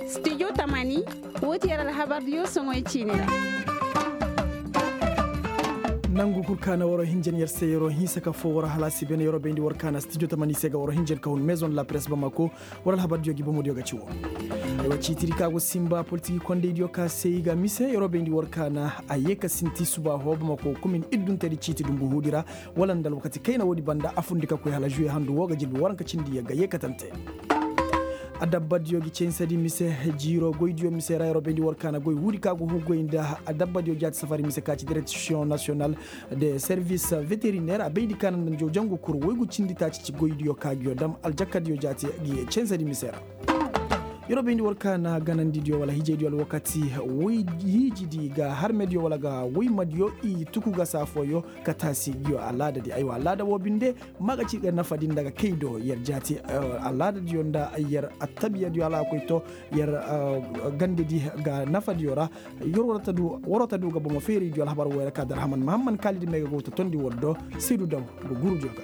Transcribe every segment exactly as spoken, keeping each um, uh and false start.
Studio tamani, woo ti yer alhabardiyo soŋoy ciini ra. Nangu kul kaana waroo hinjan yer se yeroo hinsa ka foo waroo halaasi bene yeroo bayndi war kaana studio tamani se ga waroo hinjan ka hun maison de la presse bamako. War alhabardiyo gi bomodiyo ga ci woo. Ciitidi ka go simba politiki kondaydiyo ka se i ga mise yeroo bayndi war kaana a yee ka sinti suba hoo bamako komin idduntedi ciiti dumbu huudi ra. Wala nda alwakati kayna woodi banda a fundi ka koy hala juwe handu woo ga jirbi waranka cindi yagga yeekatante. Adabbadiyo gi censadi mise jiiro goydiyo mise ra yeroo bayndi war kaana goy huudi ka go huu goy nda adabbadiyo jaati safari mise ka ci direksiyoŋ nasiyonal de servis veteriner a bayndi kaana nda njaw jangu kuru woygu cindi taaci ci goydiyo ka giyo dam aljakkadiyo jaati gi censadi mise ra. Yeroo bayndi war kaana ganandidiyo wala hijaydiyo alwakati woy hiijidi ga harmediyo wala ga woymadiyo i tuku ga saa fooyo ka taasi giyo alaadadi aywa alaada woo binde. Ma ga ci ga nafadi nda ga kay do yer jaati alaadadiyo nda yer attabiyadiyo hala a koy to yer gandedi ga nafadiyo ra. Yer waroo ta du ga bomo feeraydiyo alhabar woo yer ka dar haman mahamman kaalidi me ga go ta tondi war do. Saydu daw ga gurudiyo ga.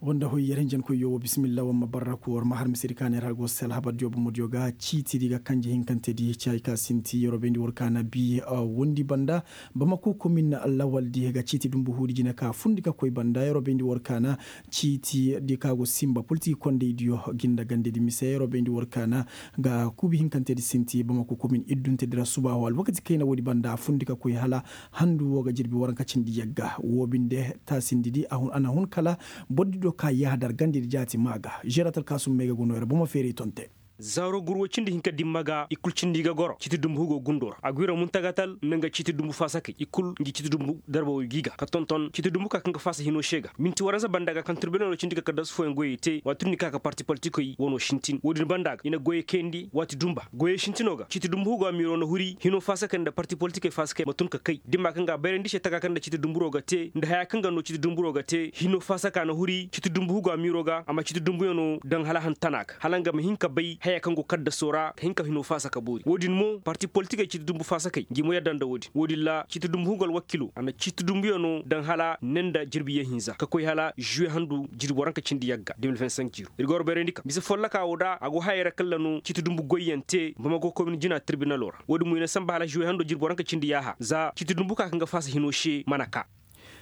Woo nda hoy yer hinjankoyyo woo bisimilla war ma barraku war ma har misedi ka neera go se alhabardiyo bomodiyo ga ciitidi ga kanje hinkantedi ci hay ka sinti yeroo bayndi war kaana bi wondi banda. Bamako komin lawaldi ga ciiti dumbu huudi jine ka fundi ka koy banda yeroo bayndi war kaana ciitidi ka go simba politiki kondaydiyo gi nda gandedi mise yeroo bayndi war kaana ga kuubi hinkantedi sinti bamako komin idduntedi ra suba hoo alwakati kayna woodi banda a fundi ka koy hala handu woo ga jirbi waranka cindi yagga woo binde taasindidi a na hun kala. Bordido ka yaha dar gandedi jaati maa ga žeeratal kaasum may ga go noo yer bomo feeray tonte. Zaaro gur woy cindi hinka dimma ga i kul cindi ga goro ciiti dumbu hugo gundo ra a go yer muntagatal nda nga ciiti dumbu faasakey i kul ngi ciiti dumbu darba woy gi ga ka tonton ciiti dumbu ka kaŋ ga faasa hinoo se ga minti waranza banda ga kaŋ tirbinalo cindi ga kaddasu fooyaŋ goyey te waati ni ka ka parti politikoy wano sintin woodin banda ga i na goyey kayandi waati dumba goyey sintinoo ga ciiti dumbu hugo amiiroo na huri hinoo faasakey nda parti politikey faasakey ma tun ka kay dimma kaŋ ga a bayrandi se taka kaŋ nda ciiti dumburoo ga te nda haya kaŋ ga noo ciiti dumburoo ga te hinoo faasaka na huri ciiti dumbu hugo amiiroo ga a ma ciiti dumbuyanoo daŋ hala hantanaa ga hala nga ma hin ka bay haya kaŋ go kaddasoo ra ka hin ka hinoo faasaka boori woodin mo parti politikey ciiti dumbu faasakey ngi mo yadda nda woodin woodin ra ciiti dumbu hugo alwakiloo a na ciiti dumbuyanoo daŋ hala ne nda jirbi yee hinza ka koy hala žuwe handu jirbi waranka cindi yagga de mil vingt cinq jiiro ir ga war bayrandi ka mise follokaa woo da a go hayey ra kalla no ciiti dumbu goyyaŋ te bamako komin jina tirbinaloo ra woodin mo i na samba hala žuwe hando jirbi waranka cindi yaaha za ciiti dumbu ka kaŋ ga faasa hinoo se mana kaa.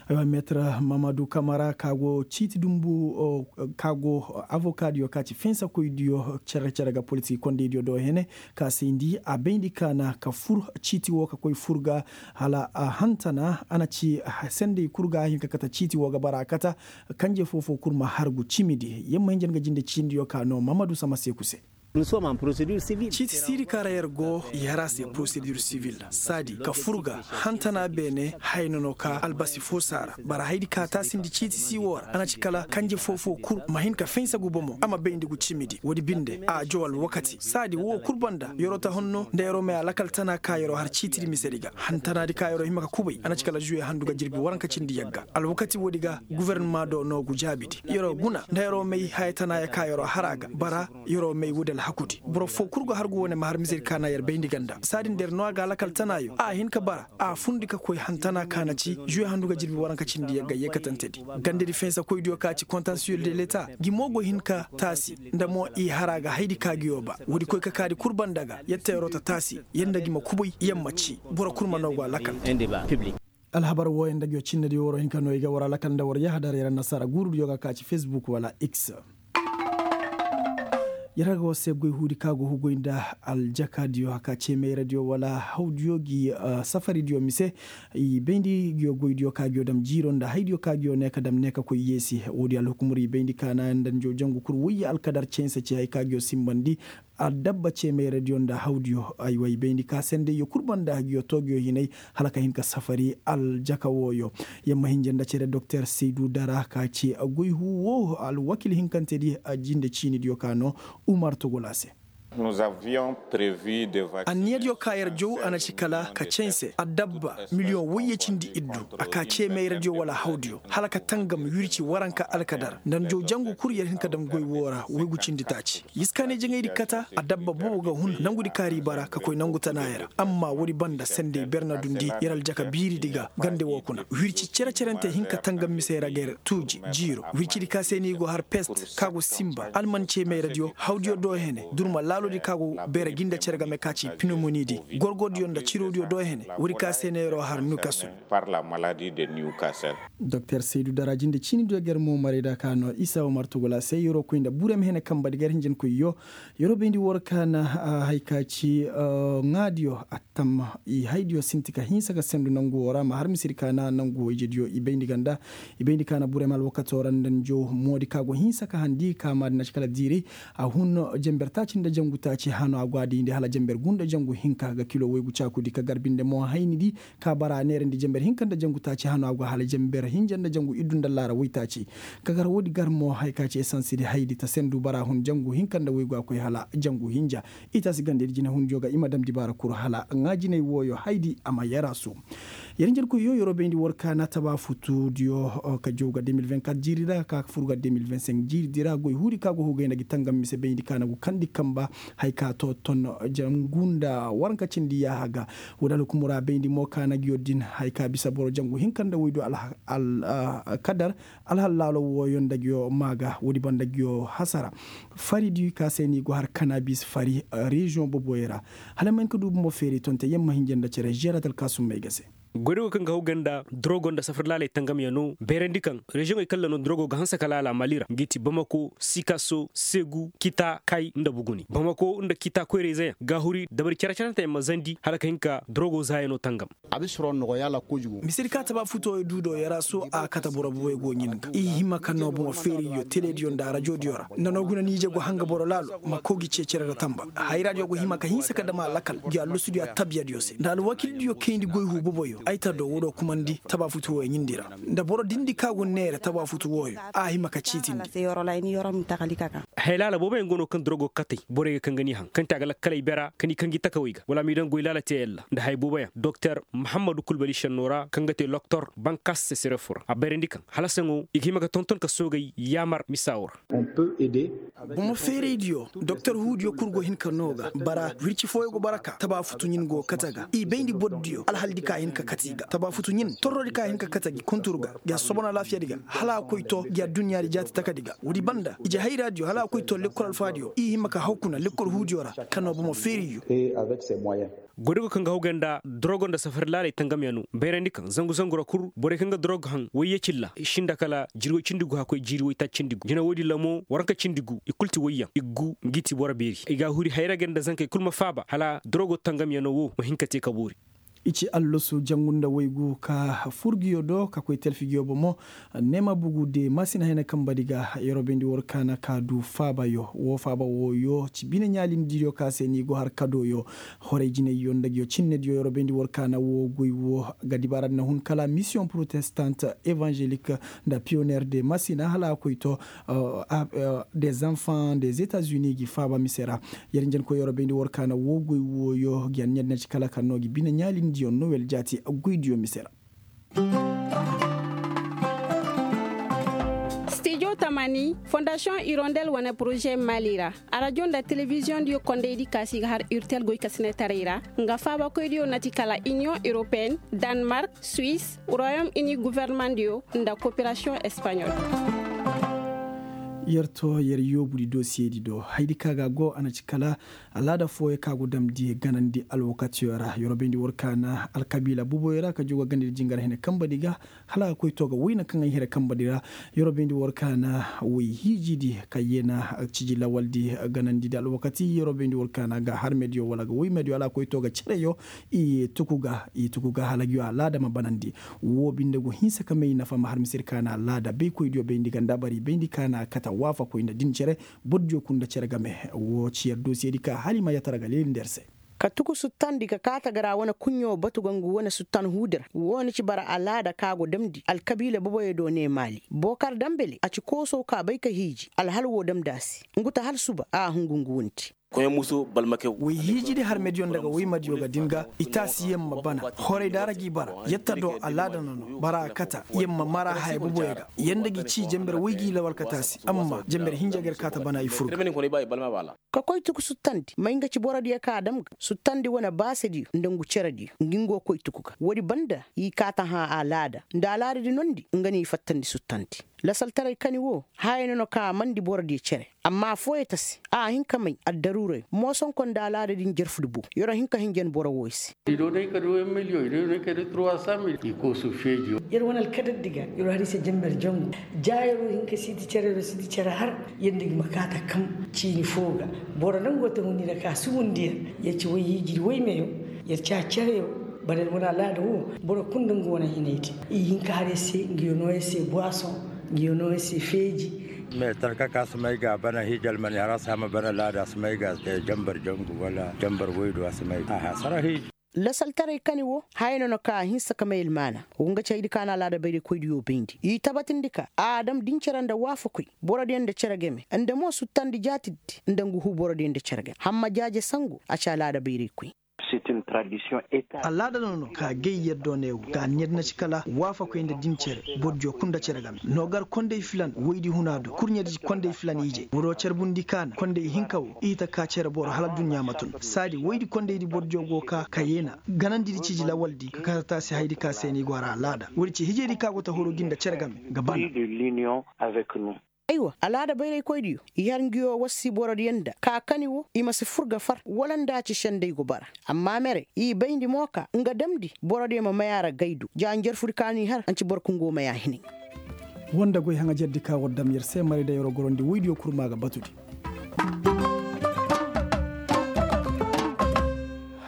Aywa meetir mamadu kamara ka go ciiti dumbu ka go avokaadiyo ka ci finsakoydiyo cere cere ga politik kondaydiyo do hene ka se ndi a bayndi kaana ka fur ciiti wo ka koy fur ga hala a hantana a na ci sendey kul ga a hin ka kate ciiti wo ga bara a kata kanje foofoo kul ma hargu cimidi yer ma hinja nga jinde ciindiyo ka no mamadu sama seeku se. Ciiti siiri kaŋ ra yer go yer a se porosedur sivil saadi ka fur ga hantana beene haya no no ka albasi fo saara bara hayadi ka taasindi ciiti sii woo ra a na ci kala kanje foofoo kul ma hin ka finsa gu bomo a ma bayndi gu cimidi woodi binde a jow alwakati saadi woo kul banda yeroo ta honno nda yeroo may alakal tana ka yeroo har ciitidi misedi ga hantanaadi ka yeroo hima ka kubay a na ci kala žuwe handu ga jirbi waranka cindi yagga alwakati woodi ga gofornama do no gu jaabidi yeroo guna nda yeroo may haya tanaaya ka yeroo har a ga bara yeroo may woodi alhakudi boro foo kul go har gu wane ma har misedi ka na yer bayndi ganda saadi nda yer no a ga alakal tanaayo a hin ka bara a fundi ka koy hantana ka na ci žuwe handu ga jirbi waranka cindi yagga yeekatantedi gandedi finsakoydiyo ka ci kontansiyel de leta gi mo go hin ka taasi nda mo i har a ga hayadi ka gi yoo ba woodi koy ka kaadi kul banda ga yer ta yeroo ta taasi yer nda gi ma kubay yer ma ci boro kul ma no go alakal. Alhabar wooyaŋ nda ngi yoo cinnediyo waroo hin ka no i ga war alakal nda war yahadar yer annasaara guurudiyo ga ka ci fesbuk wala x. Yer ga war se goy huudi ka go hugoy nda aljakaadiyo ka ce meeradiyo wala hawdiyo gi safaridiyo mise. I bayndi ngi yoo goydiyo ka ngi yoo dam jiiro nda haydiyo ka ngi yoo ne ka dam ne ka koy yeesi woodi alhukumur i bayndi ka na nda njo jangu kul woyye alkadar cense ci hay ka ngi yoo simbandi. Adabba ceemeeradiyo nda hawdiyo ay way bayndi ka sendeyyo kul banda hagiyo toogiyo hinay hala ka hin ka safari aljaka wooyo. Yamma hinja nda cere doktor seydu dara ka ci goyhu woo alwakil hinkantedi. Jinde ciinidiyo ka no umar togola se. Anniyadiyo ka yer jow a na ci kala ka canse adabba miliyoŋ wayye cindi iddu, a ka ceemayradiyo wala hawdiyo hala ka tangam wirci waranka alkadar nda jow jangu kul yer hin ka dam goy woo ra waygu cindi taaci. Yiskaanay jaŋaydi kata adabba bobo ga hun nangudi kaari bara ka koy nangu tanaaya ra. Amma woodi banda sendey ber na dundi yer aljaka biiridi ga gande woo kuna wirci cere-cerentey hin ka tangam misey ra ga yer tuuji jiiro wircidi ka se no i go har pest ka go sinba alman ceemayradiyo hawdiyo do hene durma laalodi ka go beera gi nda cere game ka ci pinomonidi gorgodiyo nda cirodiyo do hene woodi ka se no yeroo har newcastle. Doktor saydu daraji nda ciinidiyo ga yer moomarayda ka no isa woo martugula se yeroo koy nda burem hene kamba di ga yer hinjankoyyo. Yeroo bayndi war ka na haya ka ci ŋaadiyo attam i haydiyo sinti ka hinsa ka sendu nangu woo ra ma har misiri ka na nangu woo ijediyo i bayndi ganda i bayndi ka na burem alwakatoo ra nda njo moodi ka go hinsa ka handi ka maadi na ci kala diiray. A hun jenber taaci nda jangu taaci hano a go a diyndi hala jenber gu nda jangu hinka ga kilo waygu caakudi ka gar binde mo haynidi ka bara a neerandi jenber hinka nda jangu taaci hano a go hala jenber hinja nda jangu iddu nda allaara waytaaci. Ka gar woodi gar mo haya ka ci esansidi haydi ta sendu bara hun jangu hinka nda waygu a koy hala jangu hinja. Itaasi gandedi jinehundiyo ga i ma damndi baara kuru hala ŋaajinay wooyo haydi a ma yarasu. Yer njarkoyyo yeroo bayndi war ka na tabaafutudiyo ka jaw ga deux mille vingt-quatre jiiri ra ka fur ga deux mille vingt-cinq jiiridi ra goy huudi ka go hugay nda gi tangam mise bayndi ka na go kandi kamba. Haya ka to ton jangu nda waranka cindi yaaha ga. Woodi alhukumu ra bayndi mo ka na gi yo din haya ka bisa boro jangu hinka nda waydu alkadar. Alhal laalo wooyo nda gi yo maa ga woodi banda gi yo hasara. Fari di ka se no i go har kanabis fari reziyoŋ boboyo ra. Hala ma hin ka du bumbo feeri tonte yamma hinja nda cere žerat alkaasummey ga se. Goydogo kaŋ ga haw ganda dorogo nda safar laaley tangamyaŋo beerandi kaŋ reziyoŋey kalla no dorogo ga hanse ka laala mali ra ngi ti bamako sikaso segu kita kay nda buguni bamako nda kita koyrayzeyaŋ ga huri dabari care-caranteyaŋ ma zandi hala ka hin ka dorogo zaayaŋo tangam. Misedi ka taba futo du do yaraso a kate boro bobey go ɲin ga i hima ka no bomo feeriyo telediyo nda rajodiyo ra nda no guna nije go hanga boro laalo ma kogi cecere ra tamba. Hayradiyo go hima ka hinsa ka dama lakal gi allusudiyo a tabiyadiyo se nda alwakildiyo kayndi goy hu boboyo ay ta do wodo kumandi taba futu woyo ɲindi ra nda boro dindi ka go neera taba futu woyo a hima ka ciitindi. Helaala booboyaŋ go no kaŋ dorogo katey borey ga kaŋ ga ni haŋ kaŋ te a ga lakkaley bera ka ni kaŋ gi takawey ga wala a m'i daŋ goy laala te yalla nda haya booboyaŋ doktor mahammadu kulbali šenno ra kaŋ ga te loktor bankas sesere fo ra a bayrandi kaŋ hala saŋo i ga hima ga tonton ka soogay yaamar misa wo ra. Bomo feeraydiyo doktor huudiyo kul go hin ka no ga bara wirci fooyo go bara ka taba futu ɲin go kate ga i bayndi bordiyo alhaldi ka hin ka kate i ga taba futu ɲin torrodi ka hin ka kate gi kuntur ga gi a sobon alaafiyadi ga hala a koy to gi adduɲɲaadi jaati takadi ga woodi banda ije hayraadiyo hala a koy to lekkol alfaadiyo i hima ka haw kuna lekkol huudiyo ra ka no bomo feeriyo. Goydogo kaŋ ga haw ganda dorogo nda safari laaley tangamyaŋo bayrandi kaŋ zangu zangu ra kul borey kaŋ ga dorogo haŋ wayye cilla i sinda kala jirwey cindi gu hakkoy jiiri waytaaci cindi gu jina woodi lamo waranka cindi gu i kul ti wayyaŋ i gu ngi ti boro beeri i ga a huri hayra ga nda zankey kul ma faaba hala dorogo tangamyaŋo wo ma hin ka te ka boori. I ci allasu jangu nda waygu ka furgiyo do ka koy talfigiyo bomo. Neema bugu de masina hayna kambadi ga yeroo bayndi war kaana ka du faabayo woo faaba wooyo ci bine ɲaalindiyo ka se ni go har kadooyo. Horay jinayyo nda giyo cinnediyo yeroo bayndi war kaana woo goy woo ga dibaaradi na hun kala misiyoŋ protestant evanzelik nda piyoneer de masina hala a koy to. Des enfants des etats unis gi faaba mise ra. Yer njenkoy yeroo bayndi war kaana woo goy wooyo gi anniya dina ci kala kaŋ no gi bine ɲaalindiyo nowel jaati goydiyo mise ra. Stijo tamani fondasiyoŋ irondel wane poroze mali ra. Arajo nda telebiziyoŋdiyo kondaydi kaasi ga har urtel goykasinetaray ra nga faabakoydiyo na ti kala iniyoŋ europeen, danmark, suwis, royom ini governemandiyo nda koperasiyoŋ espaɲol. Yer to yer yoobudi dosiyedi do haydi ka ga go a na ci kala alaada fooyo ka go damndi ganandi alwakatiyo ra yeroo bayndi war kaana alkabiila buboyo ra ka jogo gandadi jingar hene kambadi ga. Hala a koy to ga wayna kaŋ ay hira kambadi ra yeroo bayndi war kaana way hiijidi ka yeena ciji lawaldi ganandidi alwakati yeroo bayndi war kaana ga har mediyo wala ga way mediyo hala a koy to ga cereyo. I tuku ga i tuku ga hala giyo alaada ma banandi. Woo binde go hinsa ka may nafa ma har misir kaana alaada baykoydiyo bayndi ganda bari bayndi kaana kate waafakoy nda din cere. Bordiyo kul nda cere game. Woo ci yer dosiyedi ka hala i ma yatara ga leeli nda yer se. Ka tuku suttandi ka kaate ga ra wane kuɲɲo batu ga ngu wane suttan huudi ra woo ni ci bara alaada ka go damndi alkabiila boboyo do ne maali bookar dambele a ci kooso ka bay ka hiiji alhal woo damndi a se. Ngu ta hala suba a hungu ngu wunti. Way hiijidi harmediyo nda ga way madiyo ga din ga i taasi yamma bana. Horay daara g'i bara yatta do alaada nono bara a kata yamma mara haya boboyo ga yanda ga i ci jenber way g'i lawal ka taasi amma jenber hinja ga yer kaata bana i fur ga. Ka koy tuku suttandi may nga ci borodiyo ka a dam ga suttandi wane baasediyo nda ngu cerediyo ngi ngo koy tuku ga woodi banda i kaata hã alaada nda alaadadi nondi nga no i fattandi suttandi. Lasaltaray kani wo haya no no ka a mandi borodiyo cere. Amma affooyo ta se a hin ka may addaruuray moosonko nda alaada din jarfudi bo. Yer wo hin ka hinjan boro wooyo se. Yer wane alkadardi ga yer wo har i se janber jangu. Ja yer wo hin ka siiti cere yer wo siiti cere har yer nda gi ma kaata kam ciini foo ga. Boro nangoo ta hundi nda ka subundi yer yer ci woy hiijidi woy meyo. Yer ci a cereyo boro nda wane alaada wo. Boro kul nda nga wane hinaydi i hin ka har yer se nga yo noo yer se buwason nga yo noo yer se feeji. Me tarka ka si may ga a bana hiija almani har a si hama bana laada a si may ga a si te jambar jangu wala jambar woydu a si may ga a hasara hiiji. Lasaltaray kani wo haya no no ka a hinsa ka may almaana. Wo nga ci haydi ka na alaada bayraykoydiyo bayndi i tabatindi ka a dam din cere nda waafakoy borodiyo nda cere game nda mo suttandi jaatiddi nda ngu huu borodiyo nda cere game hamma jaaje sangu a ci alaada bayraykoy. Alaada no no ka gay yer do ne wo ka ɲer na ci kala waafakoy nda din cere. Bordiyo kul nda cere game no gar konday filan woydi huna do kurɲedi konday filan ije boro carbundi kaana konday hinka wo i ta ka cere boro hala adduɲɲa ma tun saadi woydi kondaydi bordiyo go ka ka yeena ganandidi ciji lawaldi ka kata taasi haydi ka se no i go a ra alaada woodi ci hijaydi ka go ta horo gi nda cere game ga bana. Aywa alaada bayraykoydiyo i har nguyo wassi borodiyo nda ka kani wo i ma si fur ga far wala nda a ci senday go bara. Amma mere i bayndi mo ka nga damndi borodiyo ma may a ra gaydu ja njarfudi ka no i har anci boro kaŋ go may a hinay. Woo nda goy haŋajerdi ka war dam yer se maray da yer wo gorondi woydiyo kul ma ga batudi.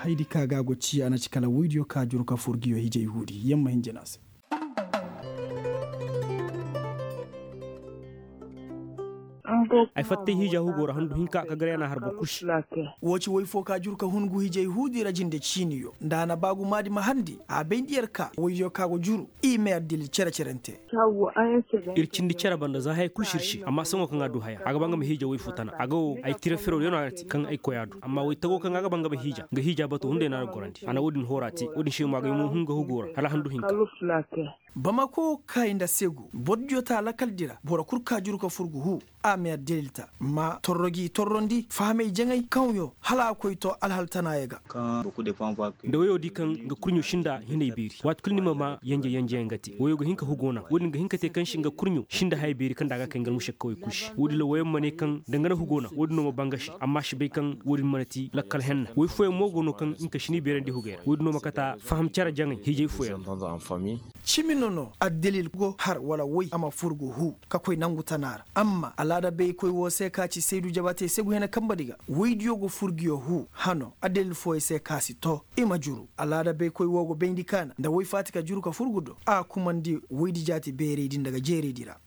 Haydi ka ga a go ci a na ci kala woydiyo ka juru ka fur nguyo hijay huudi yer ma hin jina se. Ay fattay hiija hugo ra handu hinka ka gar yana har boro kul se. Woo ci woy foo ka juru ka hun ngu hiijay huudi ra jinde ciiniyo nda a na baagumaadi ma harndi a bayndi yer ka woydiyo ka go juru. I may addilil cere-cerante. Ir cindi cere banda za haya kul si ir se amma saŋo kaŋ a du haya a ga ba nga ma hiija woy foo tana a ga wo ay tira fero yaŋ no a ga te kaŋ ay koy a du amma woy tago kaŋ a ga ba nga ma hiija nga hiija bato hunday no a ga gorandi a na woodin hoora te woodin se mo a ga ay mo hun nga hugo ra hala handu hinka. Bamako kay nda segu bordiyo ta lakaldi ra boro kul ka juru ka fur ga huu. A ma yer delil ta ma torro gi torrondi fahamay jaŋay kaŋyo hala a koy to alhal tanaayo ga. Nda woyo di kaŋ nga kurɲo sinda hinay beeri waati kul ni ma maa yanje yanje yaŋ ga te woyo ga hin ka hugo na woodin ga hin ka te kaŋ si nga kurɲo sinda haya beeri kaŋ nda a ga kay nga almušakkawey kul se woodin ra woyaŋ ma ne kaŋ danga na hugo na woodin no ma baa nga se amma a si bay kaŋ woodin mana ti lakkal henna woy fooyaŋ mo go no kaŋ nga ka si ni beerandi hugey ra woodin no ma kata faham cere jaŋay hiijay fooyaŋ. Cimi no no addalil go har wala woy a ma fur ga huu ka koy nangu tana ra amma alaada baykoy woo se ka ci saydu jabatey segu hena kanbadi ga woydiyo ga fur nguyo huu hano addalil fooyaŋ se ka si too. I ma juru alaada baykoy woo go bayndi kaana nda woy faati ka juru ka fur ngu do a kumandi woydi jaati beeraydi nda ga jeeraydi ra.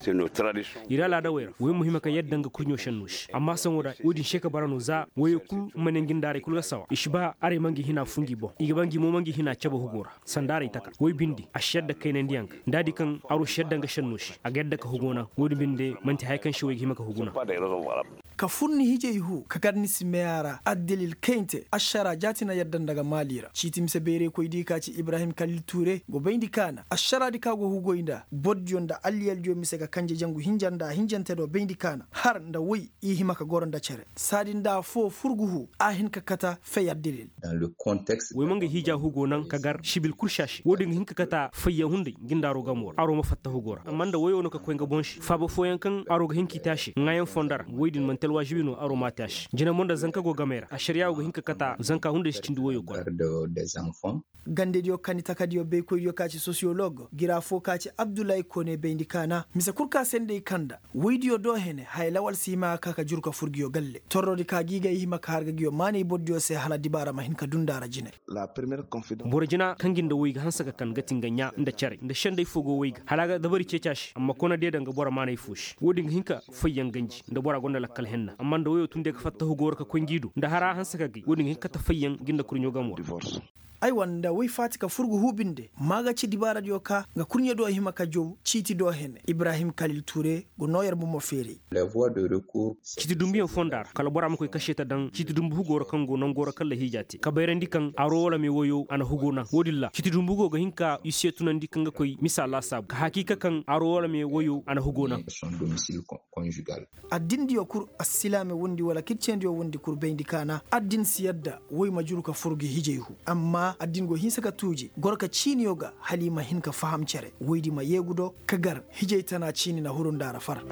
Ir alaada wey ra woy ma hima ka yadda nga kurɲo šenno se amma saŋo ra woodin se ka bara no za woyey kul ma ne ngi nda arey kul ga sawa i si ba arey ma ngi hina fuu ngi boŋ i ga ba ngi mo ma ngi hina cabe hugo ra. Sanda arey taka woy bindi a si yadda kaynandiyaŋ ga nda a di kaŋ aro si yadda nga šenno se a ga yadda ka hugo na woodin binde man'ti haya kaŋ se woy ga hima ka hugu na. Ka fur ni hijay huu ka gar ni si may a ra addalil kayante ašara jaati na yadda nda ga maali ra ciiti mise bayraykoy di ka ci ibrahim kalil tuure go bayndi kaana ašaraadi ka go hugoy nda bordiyo nda alliyaldiyo mise ga kanje jangu hinja nda hinjante do bayndi kaana har nda woy i hima ka goro nda cere saadi nda affoo fur ga huu a hin ka kata fay addalil. Woy ma nga hiija hugo naŋ ka gar sibil kul se a se woodin ga hin ka kata fayyaŋ hunday ngi nda aro gamo ra aro ma fatta hugo ra amma nda woyo no ka koy nga boŋ se faaba fooyaŋ kaŋ aro ga hin k'i te a se ŋaayaŋ fondo ra woy din man'ti alwaažibi no aro m'a te a se jina mo nda zanka go gamey ra ašariyaa wo ga hin ka kata zanka hunday si cindi woyo koy. Gandediyo kani takadiyo baykoydiyo ka ci sosiyolog gira foo ka ci abdullahi kone bayndi kaana mise kul ka se nda i kanda woydiyo do hene haya lawal si hima ga ka ka juru ka fur nguyo galle torrodi ka gi ga i hima ka har ga nguyo maanay bordiyo se hala dibaara ma hin ka duu nda a ra jine. Boro jina kaŋ gi nda woy ga hanse ka kan ga ti nga ɲaa nda cere nda senday foo go woy ga hala a ga dabari ceeci a se amma kona deeda nga boro maanay foo se woodin ga hin ka fayyaŋ ganji nda bora gonda lakkal. Amma nda woyoo tun de ga fatta hugoo ra ka koy ngi do nda haraa hanse ka gay woodin ga hin ka kate fayyaŋ ngi nda kurɲoo gamo ra. Aywa nda woy faati ka fur ga huu binde maa ga ci dibaaradiyo ka nga kurɲe do hima ka jow ciiti do hene ibrahim kalil tuure go noo yer bomo feeray. Ciiti dumbuyaŋ fonda ra kala bora ma koy kase ta daŋ ciiti dumbu hugoo ra kaŋ go nangoo ra kaŋ lahiija te ka bayrandi kaŋ aroo wala me woyoo a na hugoo naŋ woodin ra ciiti dumbu hugoo ga hin ka i se tunandi kaŋ ga koy misa laasaabu ka hakiika kaŋ aroo wala me woyoo a na hugoo naŋ. Addindiyo kul assilaame wundi wala kircendiyo wundi kul bayndi kaana addin si yadda woy ma juru ka fur ga hijay hu amma addin go hinsa ka tuuji goro ka ciiniyo ga hala i ma hin ka faham cere woydi ma yeegu do ka gar hijay tana ciini na huru nda ra far.